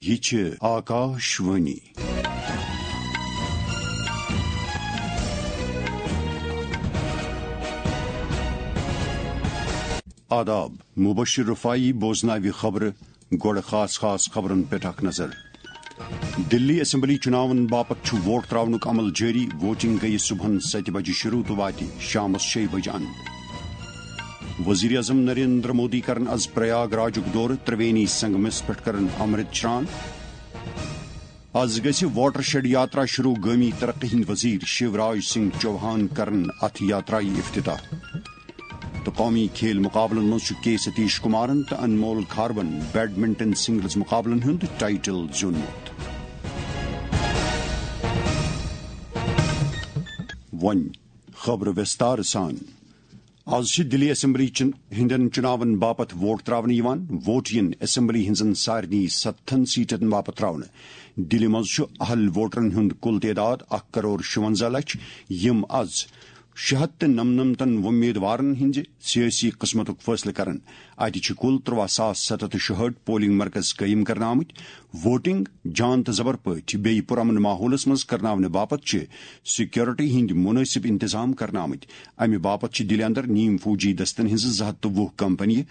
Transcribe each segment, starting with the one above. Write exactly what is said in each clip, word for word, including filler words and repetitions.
یہِ چھِ آکاش وانی۔ آداب، مبشر رفاعی بوزناوِ خبرٕ۔ گۄڈٕ خاص خاص خبرن پٮ۪ٹھ اکھ نظر۔ دِلی اسمبلی چُناون باپتھ چھُ ووٹ تراونُک عمل جٲری، ووٹنگ گٔیہِ صبحن ستہِ بجہِ شروع تہٕ واتہِ شامس شیٚیہِ بجہِ اند۔ وزیر اعظم نریندر مودی کرن از پریاگ راجُک دورٕ، ترٛوینی سنگمس پٮ۪ٹھ کرن امرت شران۔ از گژھِ واٹر شیڈ یاترا شروع، گٲمی ترقی ہٕنٛدۍ وزیر شیوراج سنگھ چوہان کرن اتھ یاترایہِ افتتاح۔ تہٕ قومی کھیل مقابلن منٛز چھُ کے ستیش کمارن تہٕ انمول کھاربن بیڈمنٹن سنگلز مقابلن ہُنٛد ٹائٹل زیوٗنمُت۔ وۄنۍ خبرٕ وِستار سان۔ از چھِ دِلی اسمبلی چُن-، ہٕنٛدٮ۪ن چُناون باپتھ ووٹ تراونہٕ یِوان۔ ووٹ یِن اسمبلی ہٕنٛزن سارنٕے ستتھن سیٹن باپتھ تراونہٕ۔ دِلہِ منٛز چھُ اہل ووٹرن ہُنٛد کُل تعداد اکھ کرور شُونزہ لچھ، یِم از شےٚ ہتھ تہٕ نَمنَمتن وۄمیدوارن ہٕنٛزِ سیٲسی قٕسمتُک فٲصلہٕ کرن۔ اتہِ چھِ کُل ترٛواہ ساس ستھ ہتھ تہٕ شُہٲٹھ پولنگ مرکز قٲیِم کرنہٕ آمٕتۍ۔ ووٹنگ جان تہٕ زبر پٲٹھۍ بیٚیہِ پرامن ماحولس منٛز کرناونہٕ باپتھ چھِ سیکورٹی ہٕنٛدۍ مُنٲسِب انتظام کرنہٕ آمٕتۍ۔ امہِ باپتھ چھِ دِلہِ اندر نیم فوجی دستن ہٕنٛزٕ زٕ ہتھ تہٕ وُہ کمپنیہِ،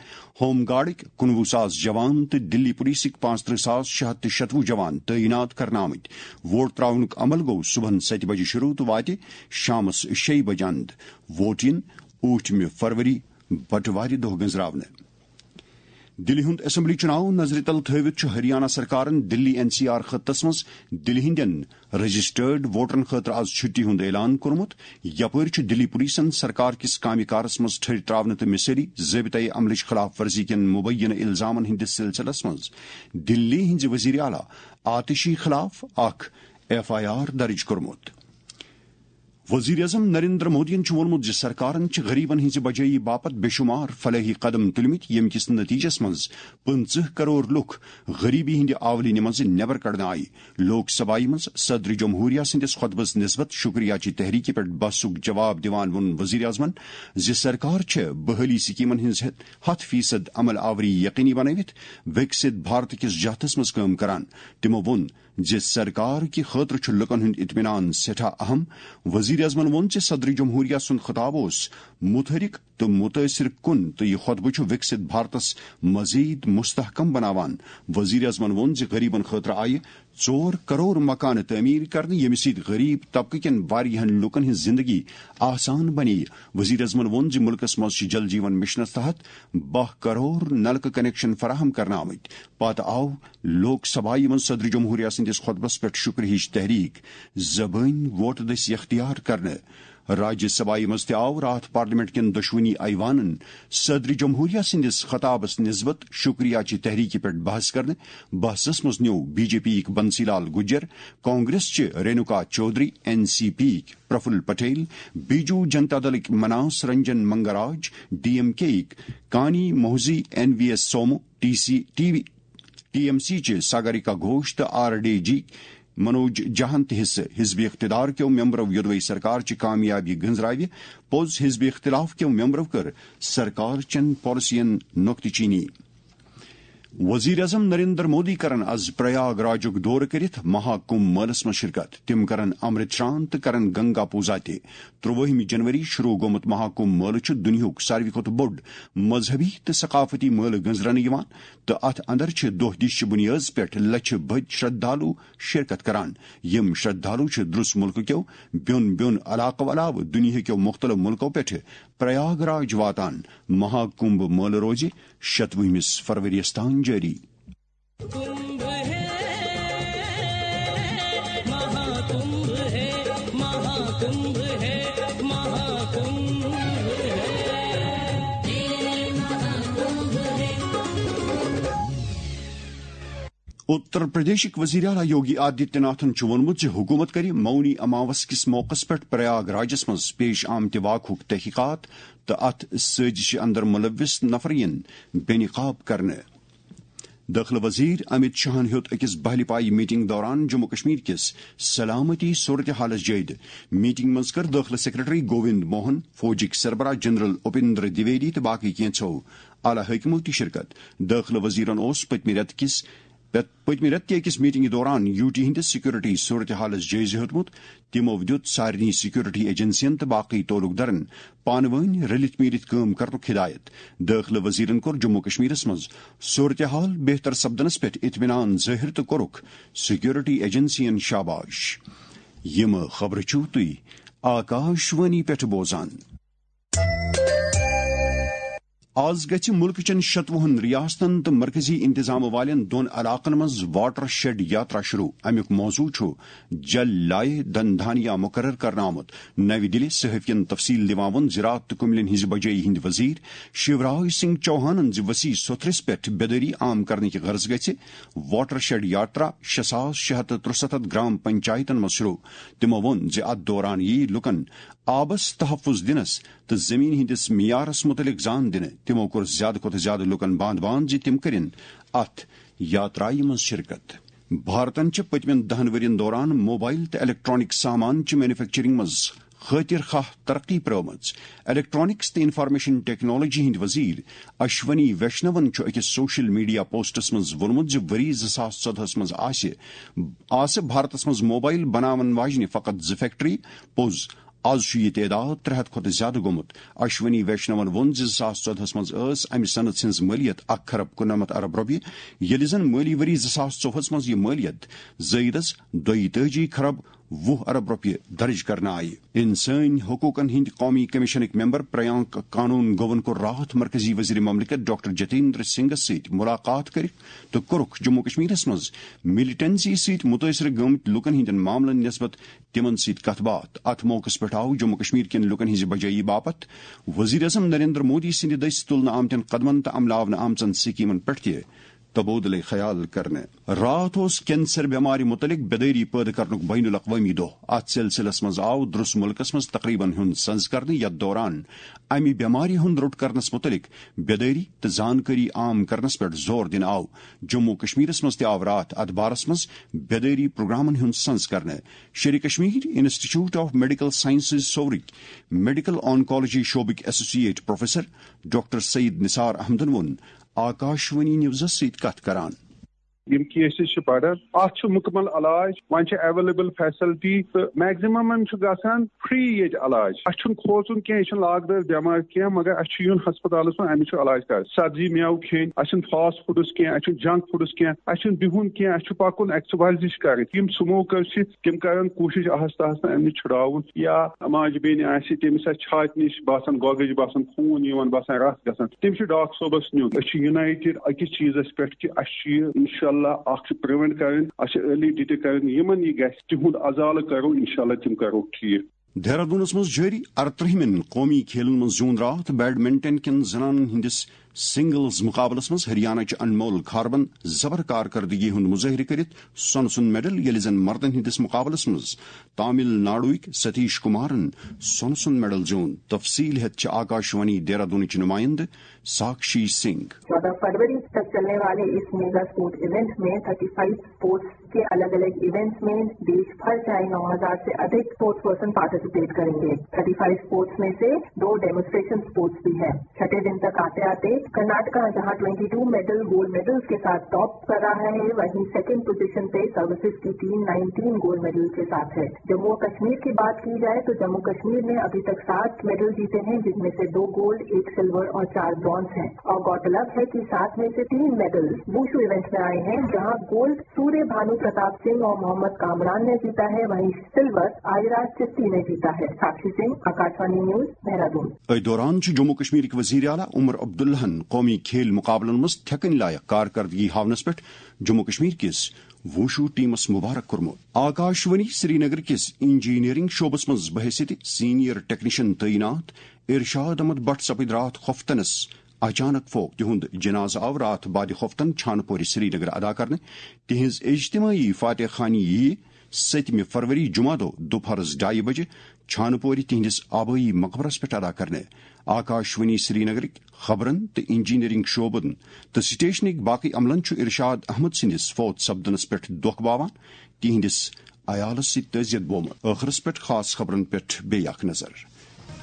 ہوم گارڈٕکۍ کُنوُہ ساس جوان تہٕ دِلی پولیسٕکۍ پانٛژترٕہ ساس شےٚ ہتھ تہٕ شتوُہ جوان تعینات کرنہٕ آمٕتۍ۔ ووٹ تراونُک عمل گوٚو صبحن ستہِ بجہِ شروع تہٕ واتہِ شامس شیٚیہِ بجہِ اند۔ ووٹ یِن ٲٹھمہِ فروری، بٹوارِ دۄہ گٔنزراونہٕ۔ دِلہِ ہُنٛد اسمبلی چُناو نظرِ تل تھٲوِتھ چھُ ہریانہ سرکارن دِلی این سی آر خطس منٛز دِلہِ ہٕنٛدٮ۪ن رجسٹرڈ ووٹرن خٲطرٕ از چھُٹی ہُنٛد اعلان کوٚرمُت۔ یپٲرۍ چھُ دِلی پولیسن سرکار کِس کامہِ کارس منٛز ٹھٔرۍ تراونہٕ تہٕ مِثٲلی ضٲبطہٕ عملٕچ خلاف ورزی کٮ۪ن مُبینہٕ الزامن ہٕنٛدِس سلسلس منٛز دِلی ہٕنٛزِ وزیر اعلیٰ آتشی خلاف اکھ ایف آئی آر درج کوٚرمُت۔ وزیر اعظم نریندر مودیَن چھُ ووٚنمُت زِ سرکارن چھِ غریبن ہٕنٛزِ بجٲیی باپتھ بے شمار فلاحی قدم تُلمٕتۍ، ییٚمہِ کِس نتیجس منٛز پٕنٛژٕہ کرور لُکھ غریبی ہٕنٛدِ آولینہِ منٛز نٮ۪بر کڑنہٕ آیہِ۔ لوک سبھایہ منٛز صدر جمہوریہ سٕنٛدِس خطبس نسبت شکریہ چہِ تحریکہِ پٮ۪ٹھ بحثُک جواب دِوان ووٚن وزیر اعظمن زِ سرکار چھےٚ بحالی سکیمن ہٕنٛز ہتھ فیصد عمل آوری یقینی بنٲوِتھ وِکسِت بھارت کِس جہتس منٛز کٲم کران۔ تِمو ووٚن زِ سرکار کہِ خٲطرٕ چھُ لُکن ہُنٛد اطمینان سٮ۪ٹھاہ اہم۔ وزیر اعظمن ووٚن زِ صدر جمہوریہ سُنٛد خطاب اوس متحرک تہٕ متٲثر کُن تہٕ یہِ خطبہٕ چھُ وِکسِت بھارتس مزید مستحکم بناوان۔ وزیر اعظمن ووٚن زِ غریبن خٲطرٕ آیہِ ژور کرور مکانہٕ تعمیٖر کرنہٕ، ییٚمہِ سۭتۍ غریب طبقہٕ کٮ۪ن واریاہن لوٗکن ہٕنٛز زِندگی آسان بنے۔ وزیر اعظمن ووٚن زِ مُلکس منٛز چھِ جل جیون مشنس تحت باہ کرور نلکہٕ کنیکشن فراہم کرنہٕ آمٕتۍ۔ پتہٕ آو لوک سبھایہ منٛز صدر جمہوریہ سٕنٛدِس خطبس پٮ۪ٹھ شکریہٕچ تحریک زبٲنۍ ووٹہٕ دٔسۍ اختیار کرنہٕ۔ راجیہ سبھایہ منٛز تہِ آو راتھ پارلیمنٹ کٮ۪ن دۄشوٕنی ایوانن صدر جمہوریہ سٕنٛدِس خطابس نسبت شکریہ چہِ تحریکہِ پٮ۪ٹھ بحث کرنہٕ۔ بحثس منٛز نیوٗ بی جے پی یِکۍ بنسی لال گجر، کانگریس چہِ Renuka Chowdhury, N C P یِکۍ پرفل پٹیل، بیجو جنتا دلٕکۍ Manas Ranjan Mangaraj, D M K یِکۍ Kanimozhi, N V S Somu, T C, T V, T M C چہِ ساگریکا گھوش تہٕ آر ڈی جی منوج جھاہن تہِ حصہٕ۔ حزب اقتدار کیو ممبرو یودوے سرکار چہِ کامیابی گنزراوِ۔ پوٚز حزب اختلاف کیو ممبرو کٔر سرکار چٮ۪ن پالیسین نۄقطہٕ چینی۔ وزیر اعظم نریندر مودی کرن از پریاگ راجُک دورٕ کٔرِتھ مہا کمبھ مٲلس منٛز شرکت۔ تِم کرن امرت شران تہٕ کرن گنگا پوزا تہِ۔ ترٛوٲہمہِ جنوری شروع گوٚمُت مہا کمبھ مٲلہٕ چھُ دُنیاہُک ساروی کھۄتہٕ بوٚڑ مذہبی تہٕ ثقافتی مٲلہٕ گٔنزرنہٕ یِوان تہٕ اتھ اندر چھِ دۄہ دِش چہِ بُنیٲدس پٮ۪ٹھ لچھِ بٔدۍ شردھالو شرکت کران۔ یِم شردھالو چھِ درُس مُلکہٕ کیو بیوٚن بیوٚن علاقو علاوٕ دُنیاہ کیو مُختٔلِف مُلکو پٮ۪ٹھٕ پریاگ راج واتان۔ مہا کمبھ مٲلہٕ روزِ شتوُہمِس فروریَس تام جٲری۔ کمبھ ہے، مہا کمبھ ہے، مہا کمبھ ہے، مہا کمبھ ہے۔ اتر پردیشٕکۍ وزیر اعلیٰ یوگی آدتیہ ناتھن چھُ ووٚنمُت زِ حکوٗمت کرِ مونی اماوس کِس موقعس پٮ۪ٹھ پریاگ راجس منٛز پیش آمتہِ واقعُک تحقیقات تہٕ اتھ سٲزشہِ اندر ملوث نفر یِن بے نقاب کرنہٕ۔ دٲخلہٕ وزیر امت شاہن ہیوٚت أکِس بہلہِ پایہِ میٹنگ دوران جموں کشمیر کِس سلامتی صورتحالس جٲیزٕ۔ میٹنگ منٛز کٔر دٲخلہٕ سیکرٹری گووند موہن، فوجٕکۍ سربراہ جنرل اپیندر دویدی تہٕ باقٕے کینٛژھو اعلیٰ حٲکمو تہِ شرکت۔ دٲخلہٕ وزیرن اوس پٔتمہِ رٮ۪تہٕ کِس پت-، پٔتمہِ رٮ۪تہٕ کہِ أکِس میٹنگہِ دوران یو ٹی ہٕنٛدِس سیکورٹی صورتحالَس جٲیزٕ ہیوٚتمُت۔ تِمو دیُت سارنٕے سیکورٹی ایجنسین تہٕ باقٕے تعلق دارن پانہٕ وٲنۍ رٔلِتھ میٖلِتھ کٲم کرنُک ہدایت۔ دٲخلہٕ وزیرن کوٚر جموں کشمیرس منٛز صورتحال بہتر سپدنس پٮ۪ٹھ اطمینان ظٲہِر تہٕ کوٚرُکھ سیکورٹی ایجنسین شاباش۔ یِم خبرٕ چھِو تُہۍ آکاشوانی پٮ۪ٹھ بوزان۔ آز گژھِ مُلکہٕ چٮ۪ن شتوُہن ریاستن تہٕ مرکزی انتظام والٮ۪ن دۄن علاقن منٛز واٹر شیڈ یاترا شروع۔ امیُک موضوع چھُ جل لائے دھن دھانیا مقرر کرنہٕ آمُت۔ نَوِ دِلہِ صحافین تفصیل دِوان ووٚن زراعت تہٕ کُملٮ۪ن ہٕنٛزِ بجٲیی ہٕنٛدۍ وزیر شیوراج سنگھ چوہانن زِ وسیع سوٚتھرِس پٮ۪ٹھ بیدٲری عام کرنٕکہِ غرض گژھِ واٹر شیڈ یاترا شےٚ ساس شےٚ ہتھ تہٕ ترُسَتتھ گرام پنچایتن منٛز شروع۔ تِمو ووٚن زِ اتھ دوران یِیہِ لوٗکن آبس تحفظ دِنس تہٕ زمین ہٕنٛدِس معیارس مُتعلق زان دِنہٕ۔ تِمو کوٚر زیادٕ کھۄتہٕ زیادٕ لوٗکن باند باند زِ تِم کٔرِن اتھ یاترایہِ منٛز شرکت۔ بھارتن چھِ پٔتمٮ۪ن دَہن ؤرین دوران موبائل تہٕ الیکٹرانک سامان چہِ مینوفیکچرنگ منٛز خٲطر خواہ ترقی پرٲومٕژ۔ الیکٹرانکس تہٕ انفارمیشن ٹیکنالوجی ہٕنٛدۍ وزیر اشونی ویشنون چھُ أکِس سوشل میڈیا پوسٹس منٛز ووٚنمُت زِ ؤری زٕ ساس ژۄدہَس منٛز آسہِ، آسہٕ بھارتس منٛز موبائل بناون واجنہِ فقط زٕ فیکٹری۔ پوٚز، از چھُ یہِ تعداد ترٛےٚ ہتھ کھۄتہٕ زیادٕ گوٚمُت۔ اشونی ویشنون ووٚن زِ زٕ ساس ژۄدہَس منٛز ٲس امہِ صنعت ہٕنٛز مٲلیت اکھ کھرب کُننَمتھ ارب رۄپیہِ، ییٚلہِ زن مٲلی ؤری زٕ ساس ژوٚوُہَس منٛز یہِ مٲلیت زٲیدس دۄیہِ تٲجی کھرب وُہ ارب رۄپیہِ درج کرنہٕ آیہِ۔ انسٲنی حقوقن ہٕنٛدۍ قومی کمیشنٕکۍ ممبر پریانک کانون گوون کوٚر راتھ مرکزی وزیر مملکت ڈاکٹر جتیندر سنگھس سۭتۍ ملاقات کٔرِتھ تہٕ کوٚرُکھ جموں کشمیرس منٛز ملیٹنسی سۭتۍ مُتٲثرٕ گٔمٕتۍ لوٗکن ہٕنٛدٮ۪ن معاملن نسبت تِمن سۭتۍ کتھ باتھ۔ اتھ موقعس پٮ۪ٹھ آو جموں کشمیر کٮ۪ن لوٗکن ہٕنٛزِ بجٲیی باپتھ وزیر اعظم نریندر مودی سٕنٛدِ دٔسۍ تُلنہٕ آمتٮ۪ن قدمن تہٕ عملاونہٕ آمژن سکیمن پٮ۪ٹھ تہِ تبادلہ خیال کرنہٕ۔ راتھ اوس کینسر بٮ۪مارِ مُتعلق بیدٲری پٲدٕ کرنُک بین الاقوٲمی دۄہ۔ اتھ سلسلس منٛز آو درس مُلکس منٛز تقریبن ہُنٛد سنز کرنہٕ، یتھ دوران امہِ بٮ۪مارِ ہُنٛد روٚٹ کرنس مُتعلق بیدٲری تہٕ زانکٲری عام کرنس پٮ۪ٹھ زور دِنہٕ آو۔ جموں کشمیرس منٛز تہِ آو راتھ اتھ بارس منٛز بیدٲری پروگرامن ہُنٛد سنز کرنہٕ۔ Sheri Kashmir institute of medical sciences سورٕکۍ میڈیکل آنکالوجی شعبٕکۍ associate professor doctor Syed Nisar احمدن ووٚن آکاشوانی نیوزس سۭتۍ کتھ کران۔ یِم کیسز چھِ بڑان، اتھ چھُ مُکمل علاج، وۄنۍ چھِ اویلیبل فیسلٹی تہٕ میکزِممن چھُ گژھان فری ییٚتہِ علاج۔ اسہِ چھُنہٕ کھوژُن کینٛہہ، یہِ چھُنہٕ لاگ دٲر بٮ۪مارِ کینٛہہ، مگر اسہِ چھُ یُن ہسپتالس منٛز، امِچ چھُ علاج کرُن۔ سبزی میوٕ کھیٚنۍ، اسہِ چھُنہٕ فاسٹ فوڈس کینٛہہ، اسہِ چھُنہٕ جنک فوڈس کینٛہہ، اسہِ چھُنہٕ بِہُن کینٛہہ، اسہِ چھُ پکُن، ایکسرسایز چھِ کرٕنۍ۔ یِم سموکر چھِ، تِم کرن کوٗشش آہستہ آہستہ امہِ نِش چھُڑاوُن۔ یا ماجہِ بیٚنہِ آسہِ، تٔمِس آسہِ چھاتہِ نِش باسان گۄگٕج باسان، خوٗن یِوان باسان، رس گژھان، تٔمِس چھُ ڈاکٹر صٲبس نیُن۔ أسۍ چھِ یونائٹڈ أکِس چیٖزس پٮ۪ٹھ کہِ اَسہِ چھُ یہِ انشاءاللہ اکھ چھُ پریونٹ کرٕنۍ، اَسہِ چھِ ارلی ڈیٹیکٹ کرٕنۍ۔ یِمن یہِ گژھِ، تِہُنٛد ازالہٕ کرو، انشاءاللہ تِم کرو ٹھیٖک۔ دہرادونس منٛز جٲری ارترٕہمٮ۪ن قومی کھیلن منٛز زیوٗن راتھ بیڈمنٹن کٮ۪ن زنانن ہٕنٛدِس سنگلز مقابلس منٛز ہریانہ چہِ انمول کھاربن زبر کارکردگی ہُنٛد مظٲہرٕ کٔرِتھ سۄنہٕ سُنٛد میڈل، ییٚلہِ زن مردن ہٕنٛدِس مقابلس منٛز تامل ناڈوٕکۍ ستیش کمارن سۄنہٕ سُنٛد میڈل زیوٗن۔ تفصیل ہٮ۪تھ چھِ آکاشوانی دہرادونٕچ نمائندٕ ساکشی سنگھ۔ چودہ فروری تک چلنے والے اس میگا اسپورٹ ایونٹ میں تھرٹی فائیو اسپورٹس کے الگ الگ ایونٹس میں دیش بھر سے آئے نو ہزار سے ادھک اسپورٹس پرسن پارٹیسپیٹ کریں گے۔ تھرٹی فائیو اسپورٹس میں سے دو ڈیمونسٹریشن اسپورٹس بھی ہے۔ چھٹے دن تک آتے آتے کرناٹکا جہاں twenty two medal, gold medals کے ساتھ ٹاپ کر رہا ہے، وہیں سیکنڈ پوزیشن پہ سروسز کی ٹیم نائنٹین گولڈ میڈل کے ساتھ ہے۔ جموں و کشمیر کی بات کی جائے تو جموں کشمیر نے ابھی تک سات میڈل جیتے ہیں، جن میں سے دو گولڈ، ایک سلور اور چار برونز ہیں۔ اور گوتلب ہے کہ سات میں سے تین میڈل ووشو ایونٹ میں آئے ہیں، جہاں گولڈ سوریہ بھانو پرتاپ سنگھ اور محمد کامران نے جیتا ہے، وہیں سلور آئرا چتی نے جیتا ہے۔ ساکشی سنگھ، آکاشوانی نیوز، دہرادون۔ أتھۍ دوران چھُ جموں کشمیرٕکۍ وزیر اعلیٰ عمر عبداللہن قومی کھیل مقابلن منٛز تھٮ۪کٕنۍ لایق کارکردگی ہاونس پٮ۪ٹھ جموں کشمیر کِس ووشو ٹیمس مبارک کوٚرمُت۔ آکاشوانی سرینگر کِس انجینئرنگ شعبس منٛز بحیثیت سینئر ٹیکنیشن تعینات ارشاد احمد بٹ سپٕدۍ راتھ خۄفتنس اچانک فوت۔ تِہُنٛد جنازٕ آو راتھ بعد خۄفتن چھانہٕ پورِ سرینگر ادا کرنہٕ۔ تِہنٛز اجتماعی فاتح خوانی ییہِ ستمہِ فروری جمعہ دۄہ دُپہرس ڈایہِ بجہِ چھانہٕ پورِ تِہنٛدِس آبٲیی مقبرس پٮ۪ٹھ ادا کرنہٕ۔ آکاشوانی سرینگرٕکۍ خبرن تہٕ انجینئرنگ شعبن تہٕ سٹیشنٕکۍ باقٕے عملن چھُ ارشاد احمد سٕنٛدِس فوت سپدنس پٮ۪ٹھ دۄکھ باوان، تِہنٛدِس عیالس سۭتۍ تعزیت بومُت۔ ٲخرس پٮ۪ٹھ خاص خبرن پٮ۪ٹھ بیٚیہِ اکھ نظر۔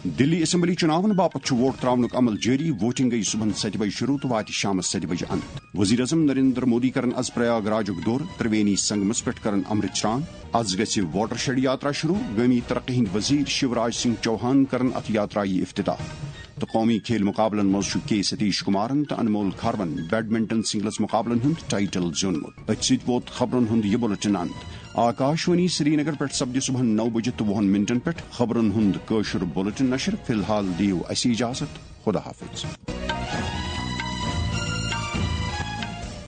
دِلی اسمبلی چُناون باپتھ چھُ ووٹ تراونُک عمل جٲری۔ ووٹنگ گٔیہِ صبحن ستہِ بجہِ شروع تہٕ واتہِ شامس ستہِ بجہِ اند۔ وزیر اعظم نریندر مودی کرن از پریاگ راجُک دورٕ، ترٛوینی سنگمس پٮ۪ٹھ کرن امرت سران۔ از گژھِ واٹر شیڈ یاترا شروع۔ گٲمی ترقی ہٕنٛدۍ وزیر شیوراج سنگھ چوہان کرن اتھ یاترایہِ افتتاح۔ تہٕ قومی کھیل مقابلن منٛز چھُ کے ستیش کمارن تہٕ انمول کھارون بیڈمنٹن سنگلز مقابلن ہُنٛد ٹائٹل زیوٗنمُت۔ أتھۍ سۭتۍ ووت خبرن ہُنٛد یہِ بُلٹن اند۔ آکاشوانی سرینگر پٮ۪ٹھ سپدِ صبحن نو بجہِ تہٕ وُہن منٹن پٮ۪ٹھ خبرن ہُنٛد کٲشُر بُلٹن نشر۔ فی الحال دِیِو اَسہِ اجازت۔ خدا حافظ۔